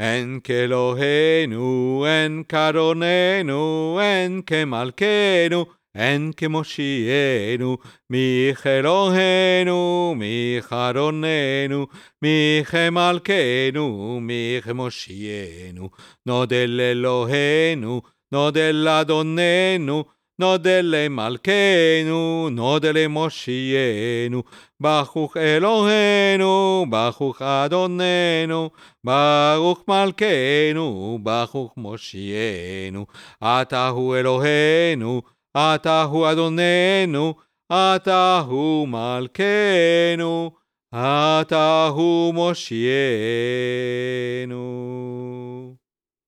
אין כאלוהינו, אין כאדוננו, אין כמלכנו, אין כמושיענו, מי כאלוהינו, מי כאדוננו, מי כמלכנו, מי כמושיענו. נודה לאלוהינו, נודה לאדוננו, נודה למלכנו, נודה למושיענו. ברוך אלוהינו, ברוך אדוננו, ברוך מלכנו, ברוך מושיענו. אתה הוא אלוהינו, אתה הוא אדוננו, אתה הוא מלכנו, אתה הוא מושיענו.